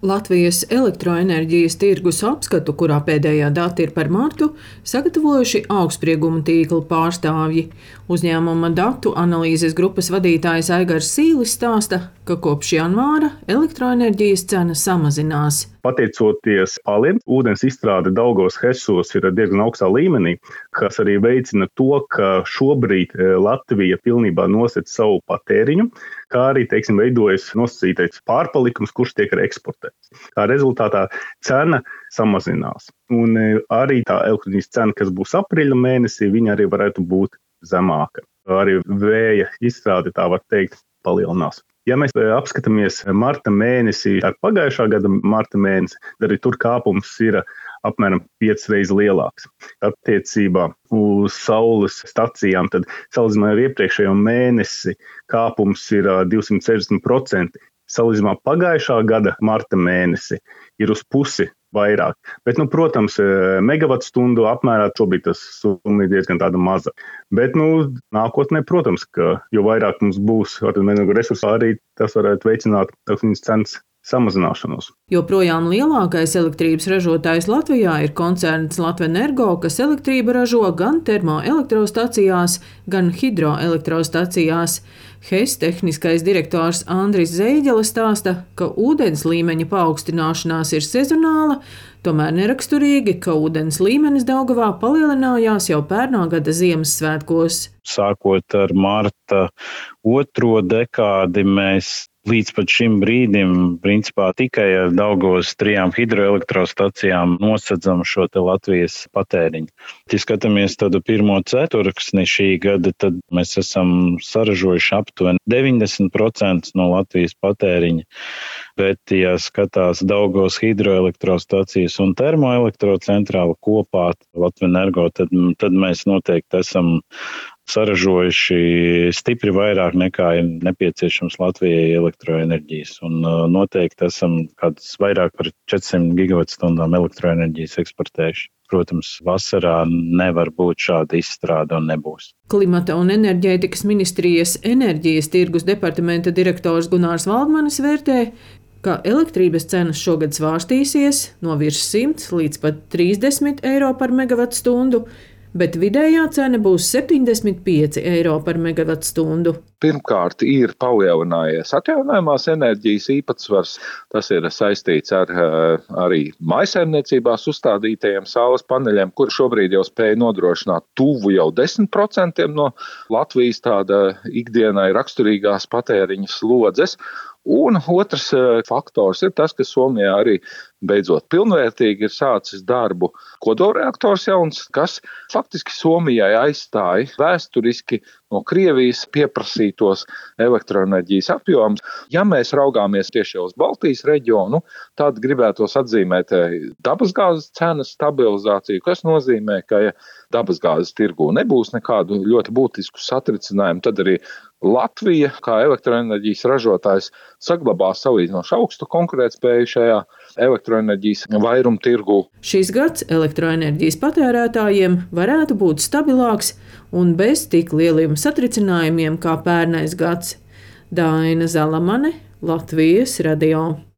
Latvijas elektroenerģijas tirgus apskatu, kurā pēdējā dati ir par martu, sagatavojuši augstsprieguma tīkla pārstāvji. Uzņēmuma datu analīzes grupas vadītājs Aigars Sīlis stāsta, ka kopš janvāra elektroenerģijas cena samazinās. Pateicoties paliem, ūdens izstrāde Daugavas hesos ir diezgan augstā līmenī, kas arī veicina to, ka šobrīd Latvija pilnībā nosec savu patēriņu, kā arī, veidojas nosacītais pārpalikums, kurš tiek arī eksportēts. Kā rezultātā cena samazinās. Un arī tā elektroenerģijas cena, kas būs aprīļa mēnesī, viņa arī varētu būt zemāka. Arī vēja izstrāde, tā var teikt, palielinās. Ja mēs apskatāmies marta mēnesī ar pagājušā gada marta mēnesi, tad arī tur kāpums ir apmēram 5 reizes lielāks. Attiecībā uz saules stacijām, tad salīdzinājumā ar iepriekšējo mēnesi kāpums ir 260%. Salīdzinājumā pagājušā gada marta mēnesi ir uz pusi vairāk. Bet, protams, megavatstundu apmērā šobrīd tas summa ir diezgan tāda maza. Bet, nākotnē, protams, ka jo vairāk mums būs resursu, arī tas varētu veicināt elektrības cenas samazināšanos. Joprojām lielākais elektrības ražotājs Latvijā ir koncerns Latvenergo, kas elektrību ražo gan termoelektrostacijās, gan hidroelektrostacijās. HES tehniskais direktors Andris Zeiģele stāsta, ka ūdens līmeņa paaugstināšanās ir sezonāla, tomēr neraksturīgi, ka ūdens līmenis Daugavā palielinājās jau pērnā gada Ziemassvētkos. Sākot ar marta 2. dekādi mēs līdz pat šim brīdim, principā, tikai ar Daugavas 3 hidroelektrostacijām nosedzam šo te Latvijas patēriņu. Ja skatāmies tādu pirmo ceturksni šī gada, tad mēs esam saražojuši aptuveni 90% no Latvijas patēriņa. Bet, ja skatās Daugavas hidroelektrostacijas un termoelektrocentrāla kopā Latvenergo, tad mēs noteikti esam saražojuši stipri vairāk nekā ir nepieciešams Latvijai elektroenerģijas. Un noteikti esam kādus vairāk par 400 gigavatstundām elektroenerģijas eksportējuši. Protams, vasarā nevar būt šāda izstrāde un nebūs. Klimata un enerģētikas ministrijas enerģijas tirgus departamenta direktors Gunārs Valdmanis vērtē, ka elektrības cenas šogad svārstīsies no virs 100 līdz pat 30 eiro par megavatstundu, bet vidējā cena būs 75 eiro par megavatstundu. Pirmkārt, ir palielinājies atjaunojamās enerģijas īpatsvars. Tas ir saistīts ar arī mājsaimniecībās uzstādītajiem saules paneļiem, kur šobrīd jau spēj nodrošināt tuvu jau 10% no Latvijas tāda ikdienai raksturīgās patēriņa slodzes. Un otrs faktors ir tas, ka Somijā arī beidzot pilnvērtīgi ir sācis darbu kodolreaktors jauns, kas faktiski Somijai aizstāja vēsturiski no Krievijas pieprasītos elektroenerģijas apjomus. Ja mēs raugāmies tieši uz Baltijas reģionu, tad gribētos atzīmēt dabasgāzes cenas stabilizāciju, kas nozīmē, ka ja dabasgāzes tirgū nebūs nekādu ļoti būtisku satricinājumu, tad arī Latvija, kā elektroenerģijas ražotājs, saglabās salīdzinoši augstu konkurētspēju šajā elektroenerģijas vairumtirgū. Šis gads elektroenerģijas patērētājiem varētu būt stabilāks un bez tik lieliem satricinājumiem kā pērnais gads. Daina Zalamane, Latvijas radio.